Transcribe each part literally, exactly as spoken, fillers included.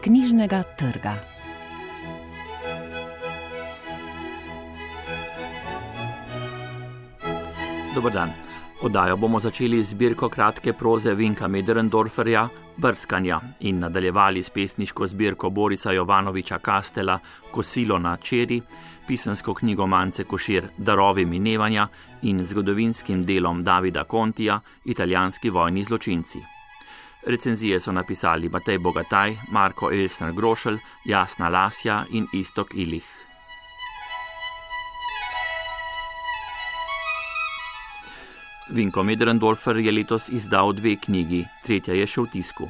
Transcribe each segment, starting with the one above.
knjižnega trga. Dober dan. Oddajo bomo začeli z zbirko kratke proze Vinka Möderndorferja Brskanja in nadaljevali s pesniško zbirko Borisa Jovanoviča Kastela Kosilo na čeri, pisansko knjigo Mance Košir Darovi minevanja in zgodovinskim delom Davida Contija Italijanski vojni zločinci. Recenzije so napisali Matej Bogataj, Marko Elsner Grošelj, Jasna Lasja in Istok Ilih. Vinko Möderndorfer je letos izdal dve knjigi, tretja je še v tisku.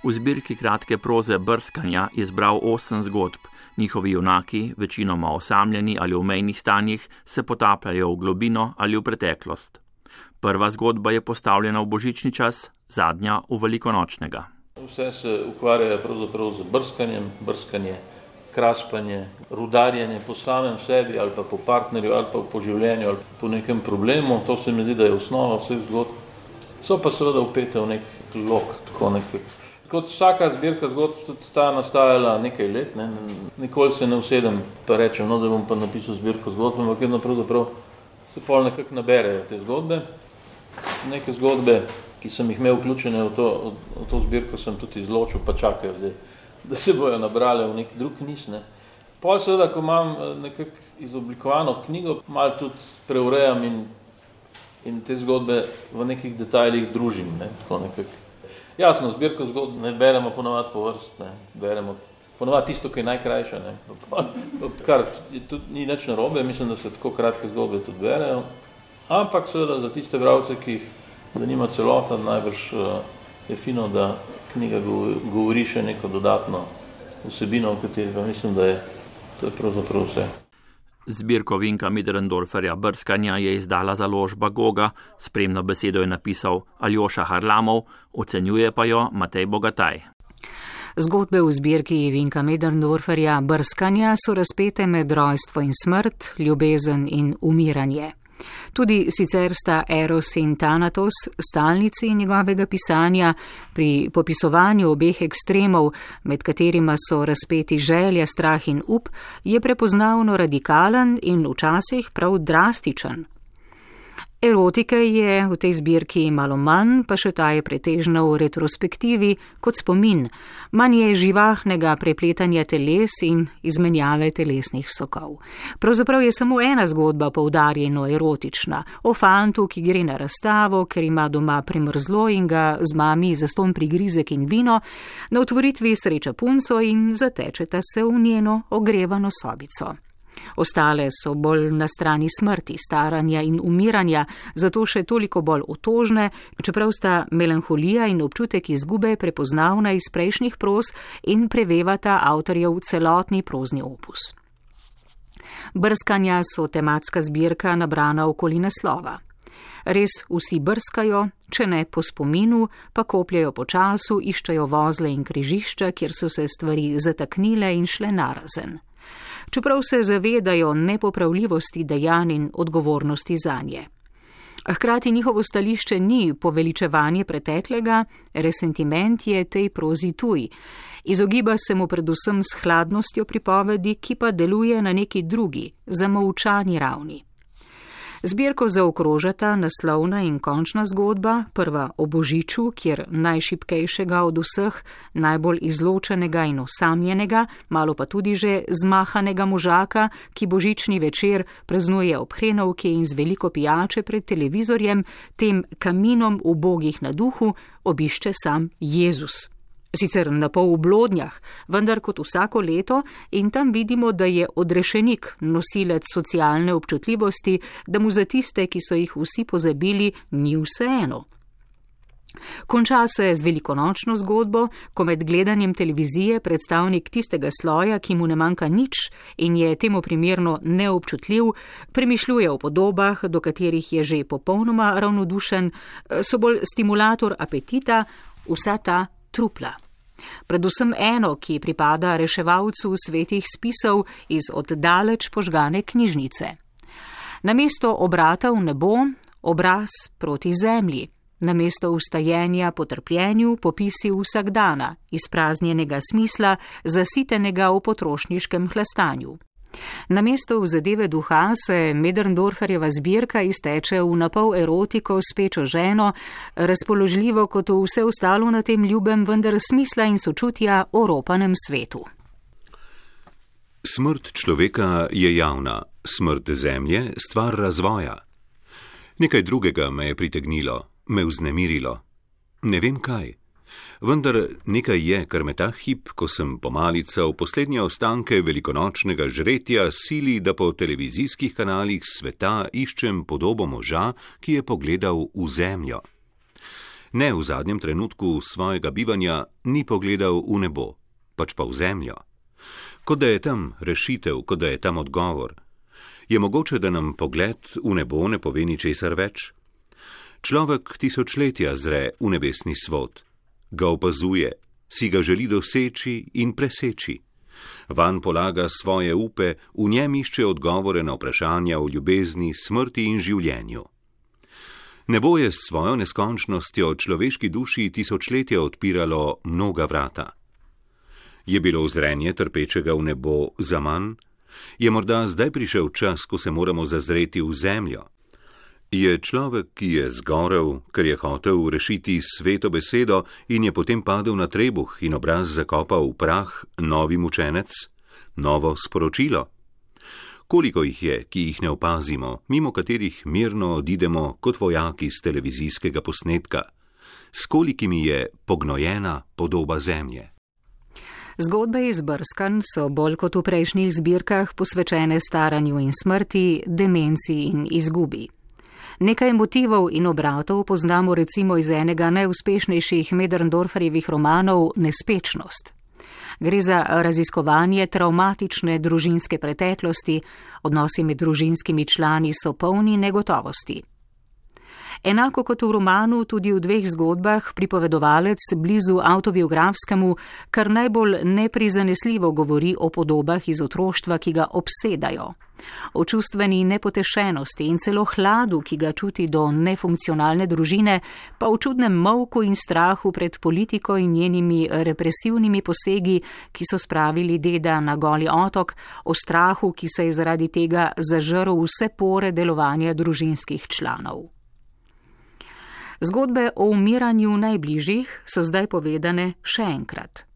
V zbirki kratke proze Brskanja je zbral osem zgodb. Njihovi junaki, večinoma osamljeni ali v mejnih stanjih, se potapljajo v globino ali v preteklost. Prva zgodba je postavljena v božični čas, zadnja v velikonočnega. Vse se ukvarjajo pravzaprav z brskanjem, brskanje, kraspanje, rudarjenje po samem sebi ali pa po partnerju ali pa po življenju ali po nekem problemu. To se mi zdi, da je osnova vseh zgodb. So pa seveda upete v nek lok, tako nekaj. Kot vsaka zbirka zgodb, tudi ta nastajala nekaj let, ne. Nikoli se ne usedem pa rečem, no, da bom pa napisal zbirko zgodb, ampak vedno pravzaprav se pol nekako naberejo te zgodbe. Neke zgodbe, ki sem jih imel vključene v to, v to zbirko, sem tudi izločil, pa čakajo, da, da se bojo nabrale v nek drug niz. Ne. Pol seveda, ko imam nekako izoblikovano knjigo, malo tudi preurejam in, in te zgodbe v nekih detajlih družim. Ne. Tako nekako. Jasno, zbirko zgodb ne beremo ponovadi po vrst, ne. Beremo ponovadi tisto, ki je najkrajša. Ne. Kar tudi ni nič narobe, mislim, da se tako kratke zgodbe tudi berejo. Ampak seveda za tiste bralce, ki jih zanima celota, najbrž je fino, da knjiga govori še neko dodatno vsebino, v kateri pa mislim, da je to je pravzaprav vse. Zbirko Vinka Möderndorferja Brskanja je izdala založba Goga, spremno besedo je napisal Aljoša Harlamov, ocenjuje pa jo Matej Bogataj. Zgodbe v zbirki Vinka Möderndorferja Brskanja so razpete med rojstvo in smrt, ljubezen in umiranje. Tudi sicer sta Eros in Thanatos stalnici njegovega pisanja, pri popisovanju obeh ekstremov, med katerima so razpeti želja, strah in up, je prepoznavno radikalen in včasih prav drastičen. Erotike je v tej zbirki malo manj, pa še ta je pretežna v retrospektivi kot spomin. Manj je živahnega prepletanja teles in izmenjave telesnih sokov. Pravzaprav je samo ena zgodba poudarjeno erotična, o fantu, ki gre na razstavo, ker ima doma primrzlo in ga z mami zastonj prigrizek in vino, na otvoritvi sreča punco in zatečeta se v njeno ogrevano sobico. Ostale so bolj na strani smrti, staranja in umiranja, zato še toliko bolj otožne, čeprav sta melanholija in občutek izgube prepoznavna iz prejšnjih proz in prevevata avtorjev celotni prozni opus. Brskanja so tematska zbirka nabrana okoli naslova. Res vsi brskajo, če ne po spominu, pa kopljajo po času, iščejo vozle in križišča, kjer so se stvari zataknile in šle narazen. Čeprav se zavedajo nepopravljivosti dejanj in odgovornosti zanje. Hkrati njihovo stališče ni poveličevanje preteklega, resentiment je tej prozi tuj. Izogiba se mu predvsem s hladnostjo pripovedi, ki pa deluje na neki drugi, zamolčani ravni. Zbirko zaokrožata naslovna in končna zgodba, prva o Božiču, kjer najšibkejšega od vseh, najbolj izločenega in osamljenega, malo pa tudi že zmahanega možaka, ki božični večer praznuje ob hrenovki in z veliko pijače pred televizorjem, tem kaminom ubogih na duhu, obišče sam Jezus. Sicer na pol v blodnjah, vendar kot vsako leto, in tam vidimo, da je odrešenik, nosilec socialne občutljivosti, da mu za tiste, ki so jih vsi pozabili, ni vseeno. Konča se z velikonočno zgodbo, ko med gledanjem televizije predstavnik tistega sloja, ki mu ne manjka nič in je temu primerno neobčutljiv, premišljuje o podobah, do katerih je že popolnoma ravnodušen, so bolj stimulator apetita, vsa ta trupla. Predvsem eno, ki pripada reševalcu svetih spisov iz oddaleč požgane knjižnice. Namesto obrata v nebo, obraz proti zemlji, namesto ustajenja po trpljenju popisi vsakdana, izpraznjenega smisla, zasitenega v potrošniškem hlastanju. Namesto v zadeve duha se Möderndorferjeva zbirka izteče v napol erotiko s pečo ženo, razpoložljivo kot vse ostalo na tem ljubem, vendar smisla in sočutja oropanem svetu. Smrt človeka je javna, smrt zemlje stvar razvoja. Nekaj drugega me je pritegnilo, me vznemirilo. Ne vem kaj. Vendar nekaj je, kar me ta hip, ko sem pomalical poslednje ostanke velikonočnega žretja, sili, da po televizijskih kanalih sveta iščem podobo moža, ki je pogledal v zemljo. Ne v zadnjem trenutku svojega bivanja ni pogledal v nebo, pač pa v zemljo. Kot da je tam rešitev, kot da je tam odgovor. Je mogoče, da nam pogled v nebo ne pove ničesar več? Človek tisočletja zre v nebesni svod. Ga opazuje, si ga želi doseči in preseči. Vanj polaga svoje upe, v njem išče odgovore na vprašanja o ljubezni, smrti in življenju. Nebo je s svojo neskončnostjo človeški duši tisočletja odpiralo mnoga vrata. Je bilo zrenje trpečega v nebo zaman? Je morda zdaj prišel čas, ko se moramo zazreti v zemljo? Je človek, ki je zgorel, ker je hotel rešiti sveto besedo in je potem padel na trebuh in obraz zakopal v prah, novi mučenec, novo sporočilo? Koliko jih je, ki jih ne opazimo, mimo katerih mirno odidemo kot vojaki z televizijskega posnetka? S kolikimi je pognojena podoba zemlje? Zgodbe iz Brskanj so bolj kot v prejšnjih zbirkah posvečene staranju in smrti, demenci in izgubi. Nekaj motivov in obratov poznamo recimo iz enega najuspešnejših Möderndorferjevih romanov Nespečnost. Gre za raziskovanje travmatične družinske preteklosti, odnosi med družinskimi člani so polni negotovosti. Enako kot v romanu, tudi v dveh zgodbah pripovedovalec blizu avtobiografskemu kar najbolj neprizanesljivo govori o podobah iz otroštva, ki ga obsedajo, o čustveni nepotešenosti in celo hladu, ki ga čuti do nefunkcionalne družine, pa v čudnem molku in strahu pred politiko in njenimi represivnimi posegi, ki so spravili deda na Goli otok, o strahu, ki se je zaradi tega zažrl vse pore delovanja družinskih članov. Zgodbe o umiranju najbližjih so zdaj povedane še enkrat.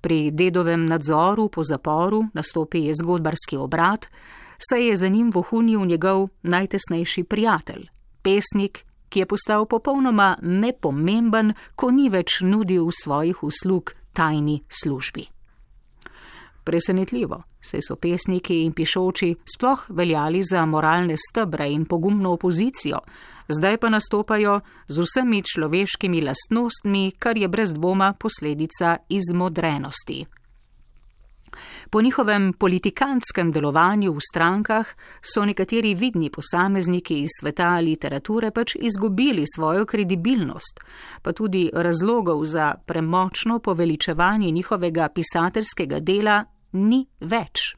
Pri dedovem nadzoru po zaporu nastopi zgodbarski obrat, saj je za njim vohunil njegov najtesnejši prijatelj, pesnik, ki je postal popolnoma nepomemben, ko ni več nudil svojih uslug tajni službi. Presenetljivo, saj so pesniki in pišoči sploh veljali za moralne stebre in pogumno opozicijo, zdaj pa nastopajo z vsemi človeškimi lastnostmi, kar je brez dvoma posledica izmodrenosti. Po njihovem politikantskem delovanju v strankah so nekateri vidni posamezniki iz sveta literature pač izgubili svojo kredibilnost, pa tudi razlogov za premočno poveličevanje njihovega pisateljskega dela ni več.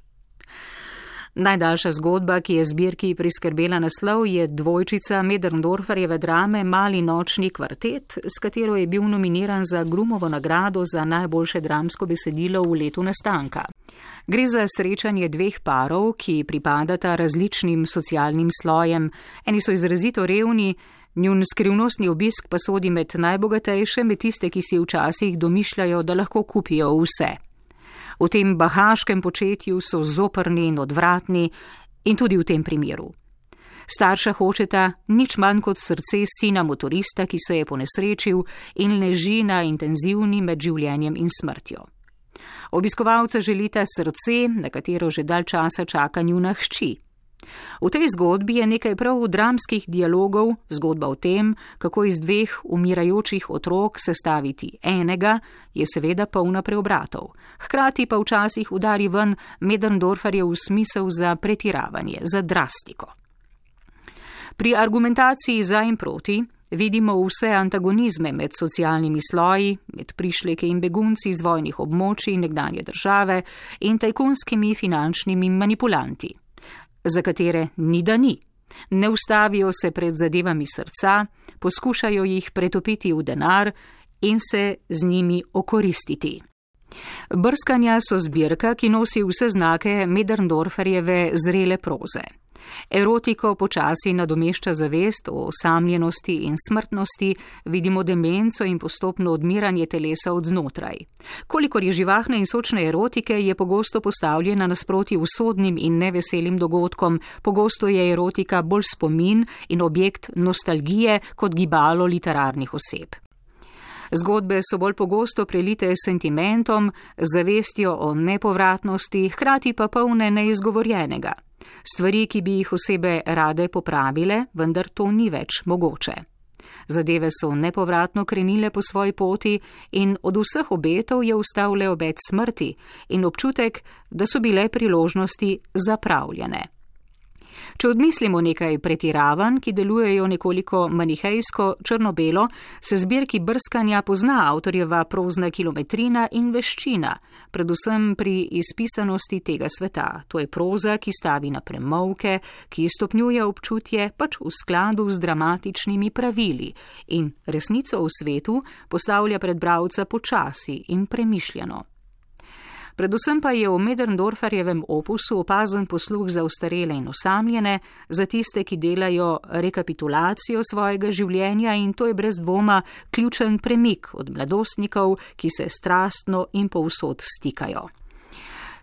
Najdaljša zgodba, ki je zbirki priskrbela naslov, je dvojčica Möderndorferjeve drame Mali nočni kvartet, s katero je bil nominiran za Grumovo nagrado za najboljše dramsko besedilo v letu nastanka. Gre za srečanje dveh parov, ki pripadata različnim socialnim slojem. Eni so izrazito revni, njun skrivnostni obisk pa sodi med najbogatejše, med tiste, ki si včasih domišljajo, da lahko kupijo vse. V tem bahaškem početju so zoprni in odvratni in tudi v tem primeru. Starša hočeta nič manj kot srce sina motorista, ki se je ponesrečil in leži na intenzivni med življenjem in smrtjo. Obiskovalca želita srce, na katero že dalj časa čaka njuna hči. V tej zgodbi je nekaj prav dramskih dialogov, zgodba o tem, kako iz dveh umirajočih otrok sestaviti enega, je seveda polna preobratov. Hkrati pa včasih udari ven Möderndorferjev smisel za pretiravanje, za drastiko. Pri argumentaciji za in proti vidimo vse antagonizme med socialnimi sloji, med prišleki in begunci iz vojnih območij nekdanje države in tajkunskimi finančnimi manipulanti, za katere ni da ni. Ne ustavijo se pred zadevami srca, poskušajo jih pretopiti v denar in se z njimi okoristiti. Brskanja so zbirka, ki nosi vse znake Möderndorferjeve zrele proze. Erotiko počasi nadomešča zavest o osamljenosti in smrtnosti, vidimo demenco in postopno odmiranje telesa od znotraj. Kolikor je živahne in sočne erotike, je pogosto postavljena nasproti usodnim in neveselim dogodkom, pogosto je erotika bolj spomin in objekt nostalgije kot gibalo literarnih oseb. Zgodbe so bolj pogosto prelite s sentimentom, zavestjo o nepovratnosti, hkrati pa polne neizgovorjenega. Stvari, ki bi jih osebe rade popravile, vendar to ni več mogoče. Zadeve so nepovratno krenile po svoji poti in od vseh obetov je ustal le obet smrti in občutek, da so bile priložnosti zapravljene. Če odmislimo nekaj pretiravanj, ki delujejo nekoliko manihejsko, črno-belo, se zbirki Brskanja pozna avtorjeva prozna kilometrina in veščina, predvsem pri izpisanosti tega sveta. To je proza, ki stavi na premolke, ki stopnjuje občutje pač v skladu z dramatičnimi pravili in resnico v svetu postavlja pred bralca počasi in premišljeno. Predvsem pa je v Möderndorferjevem opusu opazen posluh za ostarele in osamljene, za tiste, ki delajo rekapitulacijo svojega življenja, in to je brez dvoma ključen premik od mladostnikov, ki se strastno in povsod stikajo.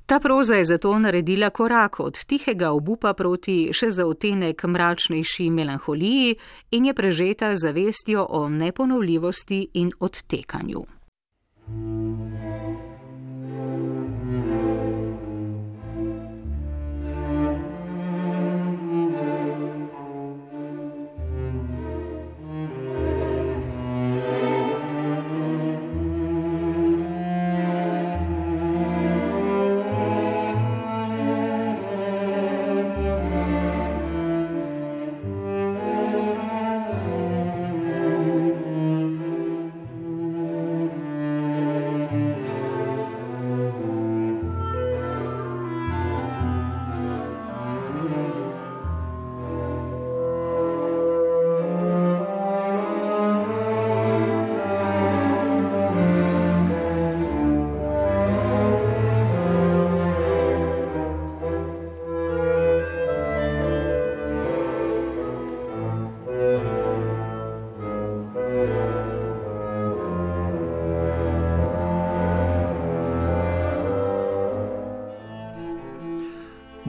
Ta proza je zato naredila korak od tihega obupa proti še za odtenek mračnejši melanholiji in je prežeta zavestjo o neponovljivosti in odtekanju.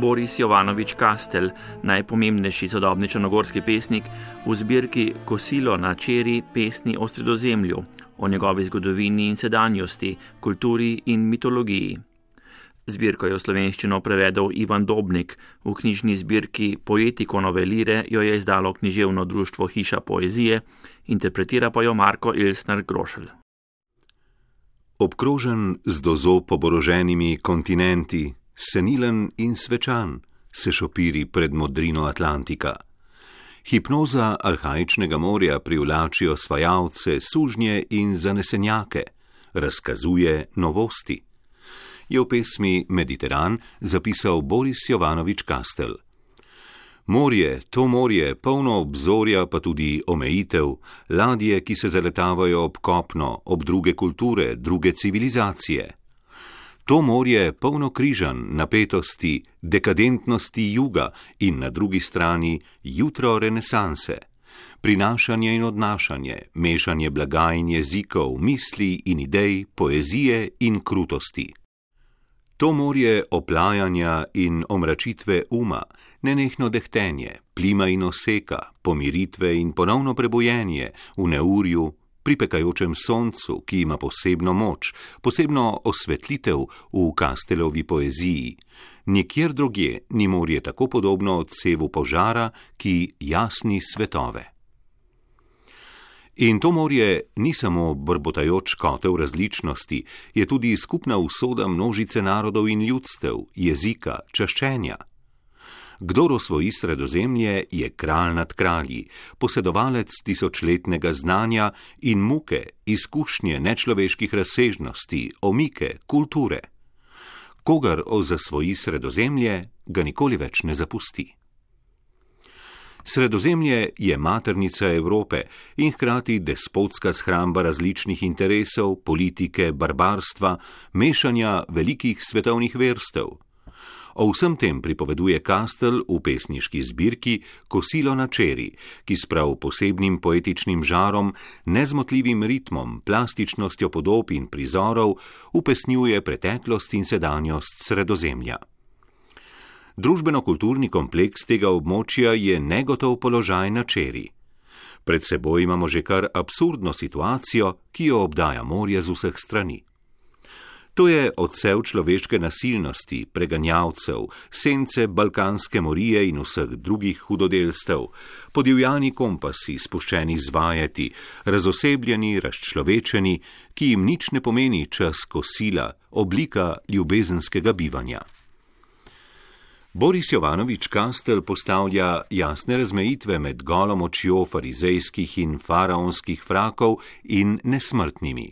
Boris Jovanovič Kastel, najpomembnejši sodobni črnogorski pesnik, v zbirki Kosilo na čeri pesni o Sredozemlju, o njegovi zgodovini in sedanjosti, kulturi in mitologiji. Zbirko je v slovenščino prevedel Ivan Dobnik, v knjižni zbirki Poetiko novelire jo je izdalo književno društvo Hiša poezije, interpretira pa jo Marko Elsner Grošelj. Obkrožen z dozo poboroženimi kontinenti, senilen in svečan, se šopiri pred modrino Atlantika. Hipnoza arhaičnega morja privlači osvajalce, sužnje in zanesenjake, razkazuje novosti. Je v pesmi Mediteran zapisal Boris Jovanovič Kastel. Morje, to morje, polno obzorja, pa tudi omejitev, ladje, ki se zaletavajo ob kopno, ob druge kulture, druge civilizacije. To morje polno križanj, napetosti, dekadentnosti juga in na drugi strani jutro renesanse, prinašanje in odnašanje, mešanje blaga in jezikov, misli in idej, poezije in krutosti. To morje oplajanja in omračitve uma, nenehno dehtenje, plima in oseka, pomiritve in ponovno prebojenje v neurju, pri pekajočem soncu, ki ima posebno moč, posebno osvetlitev v Kastelovi poeziji. Nikjer drugje ni morje tako podobno odsevu požara, ki jasni svetove. In to morje ni samo brbotajoč kotel različnosti, je tudi skupna usoda množice narodov in ljudstev, jezika, čaščenja. Kdor osvoji Sredozemlje, je kralj nad kralji, posedovalec tisočletnega znanja in muke, izkušnje nečloveških razsežnosti, omike, kulture. Kogar zasvoji Sredozemlje, ga nikoli več ne zapusti. Sredozemlje je maternica Evrope in hkrati despotska shramba različnih interesov, politike, barbarstva, mešanja velikih svetovnih verstev. O vsem tem pripoveduje Kastel v pesniški zbirki Kosilo na čeri, ki s prav posebnim poetičnim žarom, nezmotljivim ritmom, plastičnostjo podob in prizorov upesnjuje preteklost in sedanjost Sredozemlja. Družbeno-kulturni kompleks tega območja je negotov položaj na čeri. Pred seboj imamo že kar absurdno situacijo, ki jo obdaja morje z vseh strani. To je odsev človeške nasilnosti, preganjavcev, sence balkanske morije in vseh drugih hudodelstev, podivjani kompasi, spuščeni zvajeti, razosebljeni, razčlovečeni, ki jim nič ne pomeni čas kosila, oblika ljubezenskega bivanja. Boris Jovanovič Kastel postavlja jasne razmejitve med golo močjo farizejskih in faraonskih frakov in nesmrtnimi.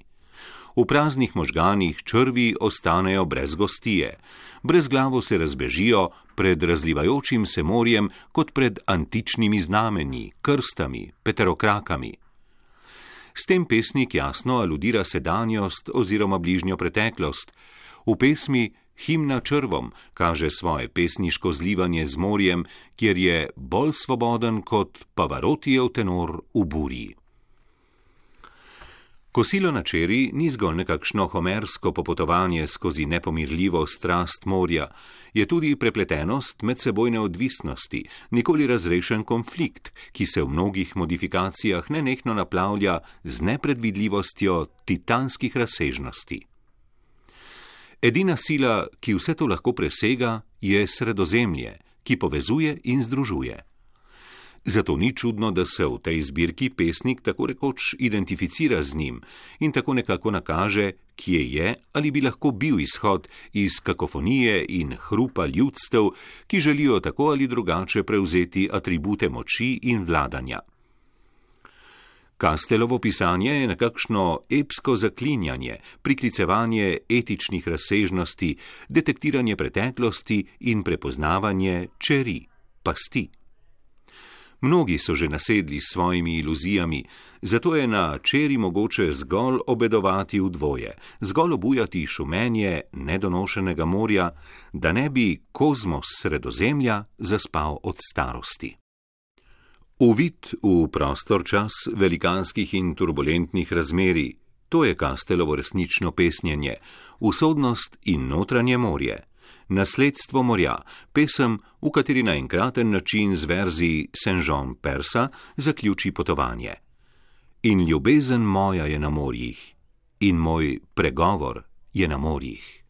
V praznih možganih črvi ostanejo brez gostije, brezglavo se razbežijo pred razlivajočim se morjem kot pred antičnimi znamenji, krstami, peterokrakami. S tem pesnik jasno aludira sedanjost oziroma bližnjo preteklost. V pesmi Himna črvom kaže svoje pesniško zlivanje z morjem, kjer je bolj svoboden kot Pavarotijev tenor v burji. Kosilo na čeri ni zgolj nekakšno homersko popotovanje skozi nepomirljivo strast morja, je tudi prepletenost medsebojne odvisnosti, nikoli razrešen konflikt, ki se v mnogih modifikacijah nenehno naplavlja z nepredvidljivostjo titanskih razsežnosti. Edina sila, ki vse to lahko presega, je Sredozemlje, ki povezuje in združuje. Zato ni čudno, da se v tej zbirki pesnik tako rekoč identificira z njim in tako nekako nakaže, kje je ali bi lahko bil izhod iz kakofonije in hrupa ljudstev, ki želijo tako ali drugače prevzeti atribute moči in vladanja. Kastelovo pisanje je nekakšno epsko zaklinjanje, priklicevanje etičnih razsežnosti, detektiranje preteklosti in prepoznavanje čeri, pasti. Mnogi so že nasedli s svojimi iluzijami, zato je na čeri mogoče zgolj obedovati v dvoje, zgolj obujati šumenje nedonošenega morja, da ne bi kozmos Sredozemlja zaspal od starosti. Uvid v prostor čas velikanskih in turbulentnih razmerij, to je Kastelovo resnično pesnjenje, usodnost in notranje morje. Nasledstvo morja, pesem, v kateri na enkraten način z verzi Saint-Jean Persa zaključi potovanje. In ljubezen moja je na morjih, in moj pregovor je na morjih.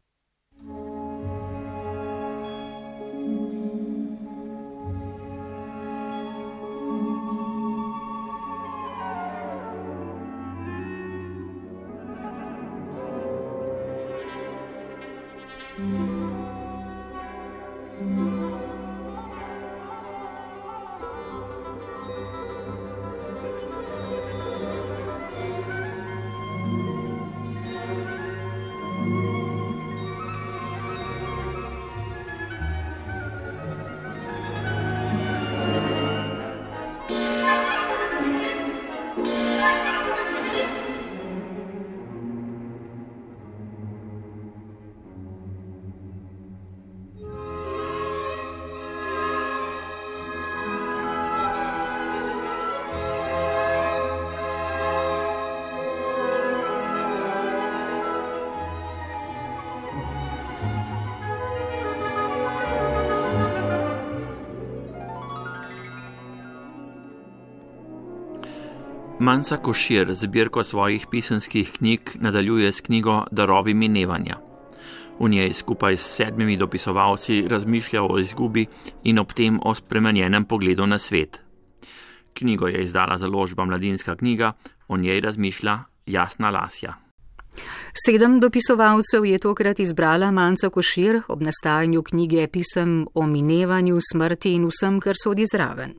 Manca Košir zbirko svojih pisanskih knjig nadaljuje s knjigo Darovi minevanja. V njej skupaj s sedmimi dopisovalci razmišlja o izgubi in ob tem o spremenjenem pogledu na svet. Knjigo je izdala založba Mladinska knjiga, o njej razmišlja Jasna Lasja. Sedem dopisovalcev je tokrat izbrala Manca Košir ob nastajanju knjige pisem o minevanju, smrti in vsem, kar sodi zraven.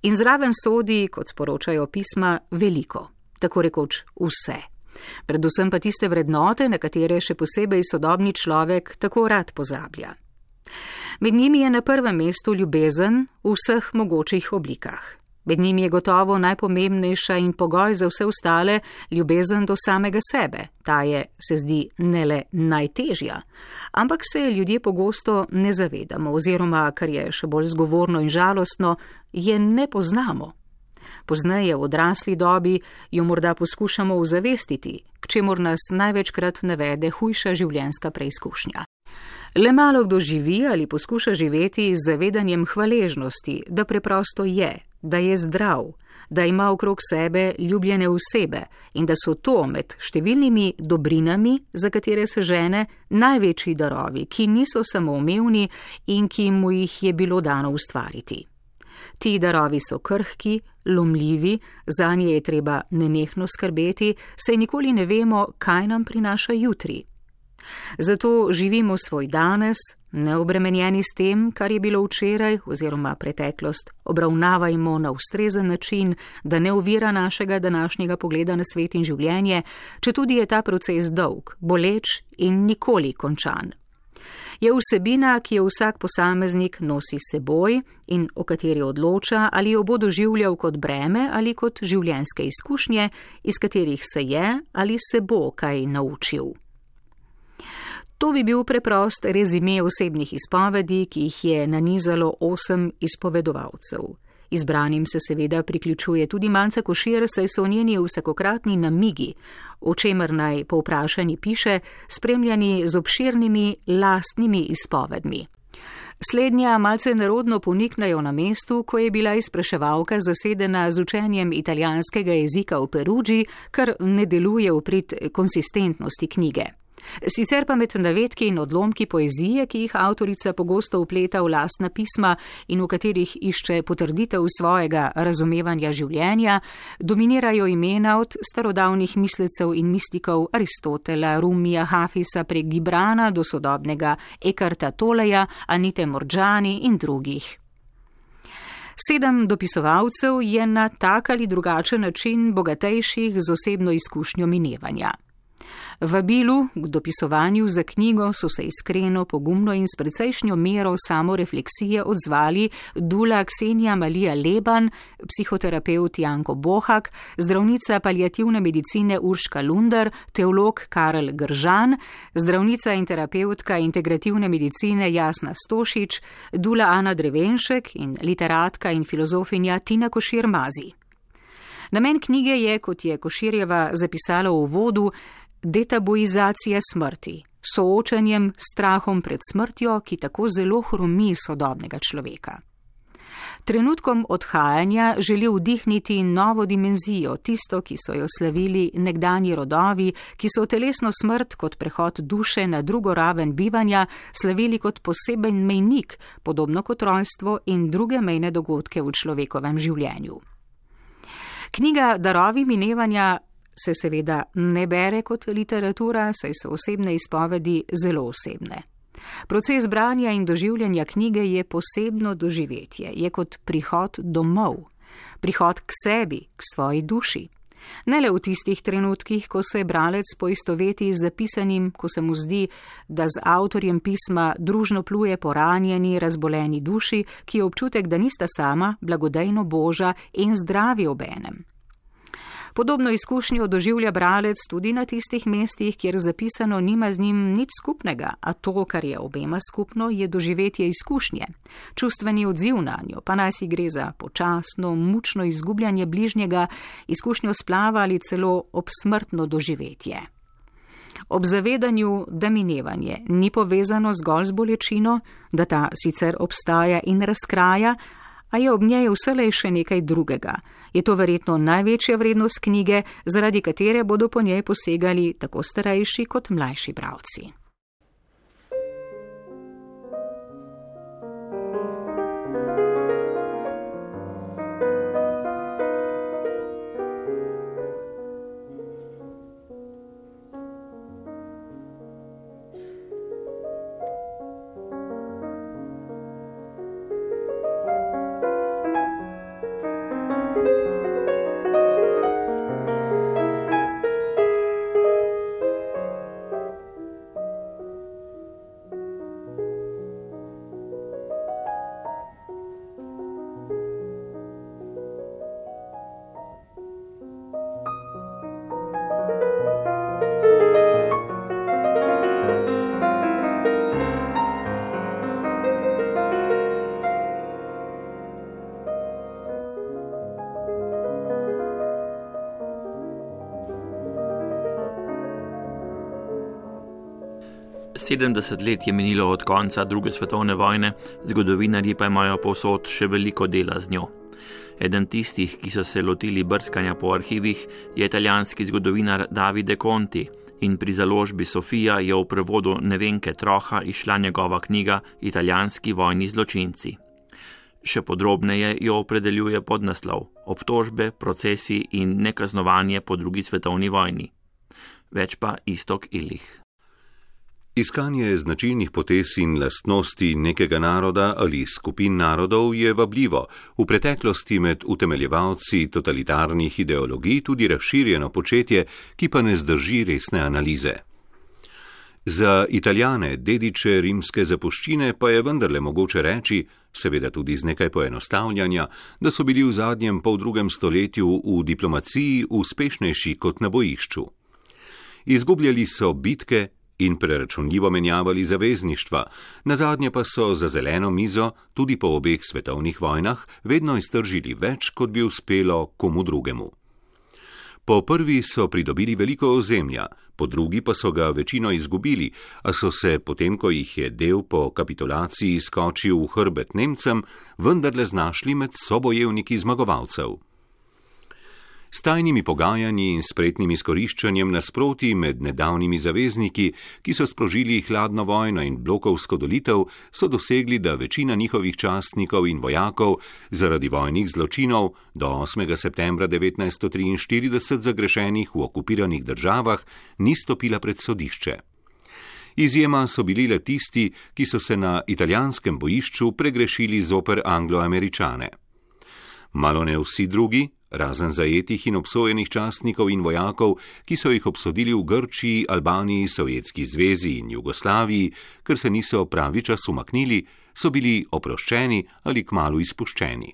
In zraven sodi, kot sporočajo pisma, veliko, tako rekoč vse. Predvsem pa tiste vrednote, na katere še posebej sodobni človek tako rad pozablja. Med njimi je na prvem mestu ljubezen v vseh mogočih oblikah. Med njimi je gotovo najpomembnejša in pogoj za vse ostale ljubezen do samega sebe. Ta je, se zdi, ne le najtežja, ampak se ljudje pogosto ne zavedamo oziroma, kar je še bolj zgovorno in žalostno, je ne poznamo. Pozneje v odrasli dobi jo morda poskušamo uzavestiti, k čemur nas največkrat navede hujša življenjska preizkušnja. Le malo kdo živi ali poskuša živeti z zavedanjem hvaležnosti, da preprosto je, da je zdrav, da ima okrog sebe ljubljene osebe in da so to med številnimi dobrinami, za katere se žene, največji darovi, ki niso samoumevni in ki mu jih je bilo dano ustvariti. Ti darovi so krhki, lomljivi, zanje je treba nenehno skrbeti, saj nikoli ne vemo, kaj nam prinaša jutri. Zato živimo svoj danes, neobremenjeni s tem, kar je bilo včeraj oziroma preteklost, obravnavajmo na ustrezen način, da ne ovira našega današnjega pogleda na svet in življenje, četudi je ta proces dolg, boleč in nikoli končan. Je vsebina, ki jo vsak posameznik nosi seboj in o kateri odloča, ali jo bo doživljal kot breme ali kot življenjske izkušnje, iz katerih se je ali se bo kaj naučil. To bi bil preprost rezime osebnih izpovedi, ki jih je nanizalo osem izpovedovalcev. Izbranim se seveda priključuje tudi Manca Košir, saj so njeni vsakokratni namigi, o čemer naj povprašani piše, spremljani z obširnimi lastnimi izpovedmi. Slednja malce nerodno poniknajo na mestu, ko je bila izpraševalka zasedena z učenjem italijanskega jezika v Perugii, kar ne deluje v prid konsistentnosti knjige. Sicer pa med navedki in odlomki poezije, ki jih avtorica pogosto vpleta v lastna pisma in v katerih išče potrditev svojega razumevanja življenja, dominirajo imena od starodavnih mislecev in mistikov Aristotela, Rumija, Hafisa prek Gibrana do sodobnega Eckarta Tolleja, Anite Mordjani in drugih. Sedem dopisovalcev je na tak ali drugačen način bogatejših z osebno izkušnjo minevanja. Vabilu k dopisovanju za knjigo so se iskreno, pogumno in s precejšnjo mero samorefleksije odzvali Dula Ksenija Malija Leban, psihoterapevt Janko Bohak, zdravnica paliativne medicine Urška Lunder, teolog Karel Gržan, zdravnica in terapeutka integrativne medicine Jasna Stošič, Dula Ana Drevenšek in literatka in filozofinja Tina Košir Mazi. Namen knjige je, kot je Koširjeva zapisala v uvodu, detabuizacija smrti, soočanjem s strahom pred smrtjo, ki tako zelo hromi sodobnega človeka. Trenutkom odhajanja želi vdihniti novo dimenzijo, tisto, ki so jo slavili nekdanji rodovi, ki so telesno smrt kot prehod duše na drugo raven bivanja slavili kot poseben mejnik, podobno kot rojstvo in druge mejne dogodke v človekovem življenju. Knjiga Darovi minevanja se seveda ne bere kot literatura, saj so osebne izpovedi zelo osebne. Proces branja in doživljanja knjige je posebno doživetje, je kot prihod domov, prihod k sebi, k svoji duši. Ne le v tistih trenutkih, ko se bralec poistoveti z zapisanim, ko se mu zdi, da z avtorjem pisma družno pluje po ranjeni, razboleni duši, ki je občutek, da nista sama, blagodejno boža in zdravi obenem. Podobno izkušnjo doživlja bralec tudi na tistih mestih, kjer zapisano nima z njim nič skupnega, a to, kar je obema skupno, je doživetje izkušnje. Čustveni odziv na njo, pa naj si gre za počasno, mučno izgubljanje bližnjega, izkušnjo splava ali celo obsmrtno doživetje. Ob zavedanju, da minevanje ni povezano zgolj z bolečino, da ta sicer obstaja in razkraja, a je ob njej vselej še nekaj drugega. Je to verjetno največja vrednost knjige, zaradi katere bodo po njej posegali tako starejši kot mlajši bralci. sedemdeset let je minilo od konca druge svetovne vojne, zgodovinarji pa imajo povsod še veliko dela z njo. Eden tistih, ki so se lotili brskanja po arhivih, je italijanski zgodovinar Davide Conti in pri založbi Sofija je v prevodu Nevenke Troha izšla njegova knjiga Italijanski vojni zločinci. Še podrobneje jo opredeljuje podnaslov Obtožbe, procesi in nekaznovanje po drugi svetovni vojni. Več pa Iztok Illich. Iskanje značilnih potez in lastnosti nekega naroda ali skupin narodov je vabljivo, v preteklosti med utemeljevalci totalitarnih ideologij tudi razširjeno početje, ki pa ne zdrži resne analize. Za Italijane, dediče rimske zapuščine, pa je vendarle mogoče reči, seveda tudi z nekaj poenostavljanja, da so bili v zadnjem poldrugem stoletju v diplomaciji uspešnejši kot na bojišču. Izgubljali so bitke in preračunljivo menjavali zavezništva, nazadnje pa so za zeleno mizo, tudi po obeh svetovnih vojnah, vedno iztržili več, kot bi uspelo komu drugemu. Po prvi so pridobili veliko ozemlja, po drugi pa so ga večino izgubili, a so se, potem ko jih je del po kapitulaciji skočil v hrbet Nemcem, vendarle znašli med sobojevniki zmagovalcev. S tajnimi pogajanji in spretnim izkoriščanjem nasprotij med nedavnimi zavezniki, ki so sprožili hladno vojno in blokovsko dolitev, so dosegli, da večina njihovih častnikov in vojakov zaradi vojnih zločinov do osmega septembra devetnajststo triinštirideset zagrešenih v okupiranih državah ni stopila pred sodišče. Izjema so bili le tisti, ki so se na italijanskem bojišču pregrešili zoper Anglo-Američane. Malo ne vsi drugi, razen zajetih in obsojenih častnikov in vojakov, ki so jih obsodili v Grčiji, Albaniji, Sovjetski zvezi in Jugoslaviji, ker se niso pravi čas umaknili, so bili oproščeni ali kmalu izpuščeni.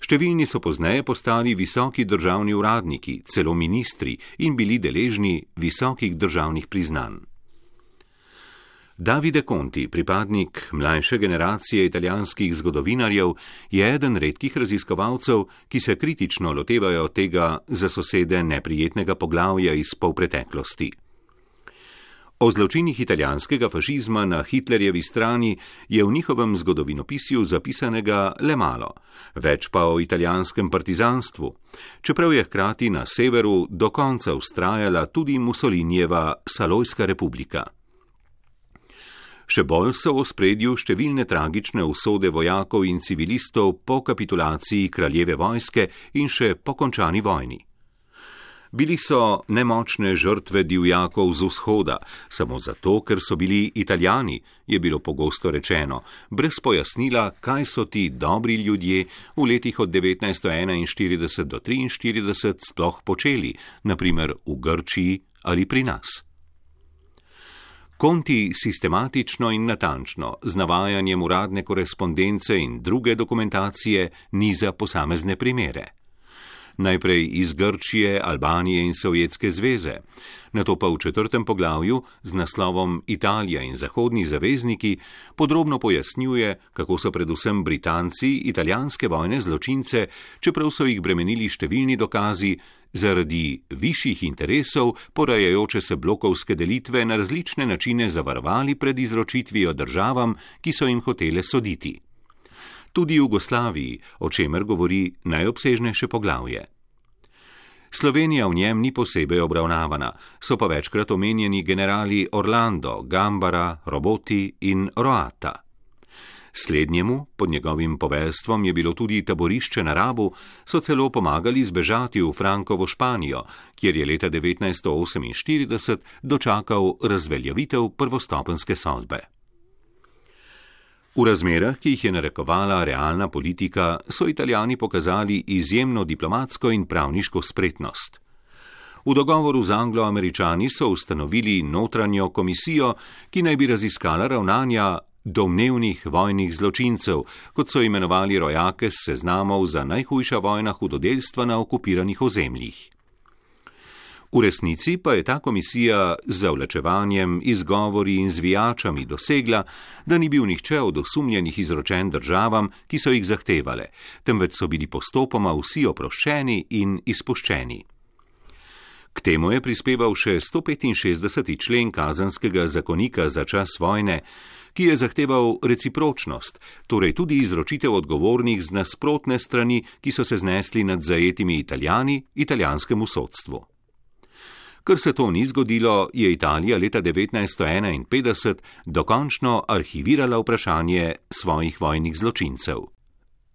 Številni so pozneje postali visoki državni uradniki, celo ministri in bili deležni visokih državnih priznanj. Davide Conti, pripadnik mlajše generacije italijanskih zgodovinarjev, je eden redkih raziskovalcev, ki se kritično lotevajo tega za sosede neprijetnega poglavja iz polpreteklosti. O zločinih italijanskega fašizma na Hitlerjevi strani je v njihovem zgodovinopisju zapisanega le malo, več pa o italijanskem partizanstvu, čeprav je hkrati na severu do konca vztrajala tudi Mussolinijeva Salojska republika. Še bolj so v ospredju številne tragične usode vojakov in civilistov po kapitulaciji kraljeve vojske in še po končani vojni. Bili so nemočne žrtve divjakov z vzhoda, samo zato, ker so bili Italijani, je bilo pogosto rečeno, brez pojasnila, kaj so ti dobri ljudje v letih od devetnajststo enainštirideset do triinštirideset sploh počeli, na primer v Grčiji ali pri nas. Conti sistematično in natančno, z navajanjem uradne korespondence in druge dokumentacije, niza posamezne primere. Najprej iz Grčije, Albanije in Sovjetske zveze, nato pa v četrtem poglavju z naslovom Italija in zahodni zavezniki podrobno pojasnjuje, kako so predvsem Britanci italijanske vojne zločince, čeprav so jih bremenili številni dokazi, zaradi višjih interesov porajajoče se blokovske delitve na različne načine zavarovali pred izročitvijo državam, ki so jim hotele soditi. Tudi v Jugoslaviji, o čemer govori najobsežnejše poglavje. Slovenija v njem ni posebej obravnavana, so pa večkrat omenjeni generali Orlando, Gambara, Roboti in Roata. Slednjemu, pod njegovim poveljstvom, je bilo tudi taborišče na Rabu, so celo pomagali zbežati v Frankovo Španijo, kjer je leta devetnajststo oseminštirideset dočakal razveljavitev prvostopenjske sodbe. V razmerah, ki jih je narekovala realna politika, so Italijani pokazali izjemno diplomatsko in pravniško spretnost. V dogovoru z Anglo-Američani so ustanovili notranjo komisijo, ki naj bi raziskala ravnanja domnevnih vojnih zločincev, kot so imenovali rojake s seznamov za najhujša vojna hudodelstva na okupiranih ozemljih. V resnici pa je ta komisija z zavlačevanjem, izgovori in zvijačami dosegla, da ni bil nihče od osumljenih izročen državam, ki so jih zahtevale, temveč so bili postopoma vsi oproščeni in izpuščeni. K temu je prispeval še stopetinšestdeseti člen kazenskega zakonika za čas vojne, ki je zahteval recipročnost, torej tudi izročitev odgovornih z nasprotne strani, ki so se znesli nad zajetimi Italijani, italijanskemu sodstvu. Ker se to ni zgodilo, je Italija leta devetnajststo enainpetdeset dokončno arhivirala vprašanje svojih vojnih zločincev.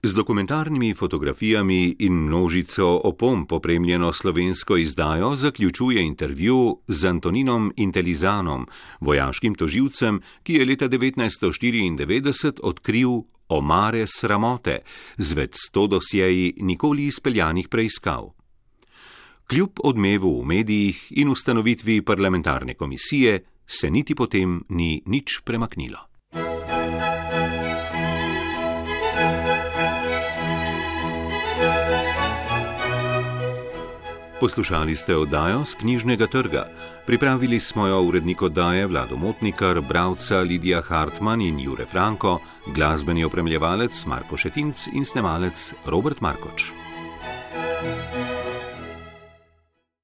Z dokumentarnimi fotografijami in množico opomb opremljeno slovensko izdajo zaključuje intervju z Antoninom Intelizanom, vojaškim tožilcem, ki je leta devetnajststo štiriindevetdeset odkril omare sramote z več sto dosjeji nikoli izpeljanih preiskav. Kljub odmevu v medijih in ustanovitvi parlamentarne komisije se niti potem ni nič premaknilo. Poslušali ste oddajo s Knjižnega trga. Pripravili smo jo urednik oddaje Vlado Motnikar, bralca Lidija Hartman in Jure Franko, glasbeni opremljevalec Marko Šetinc in snemalec Robert Markoč.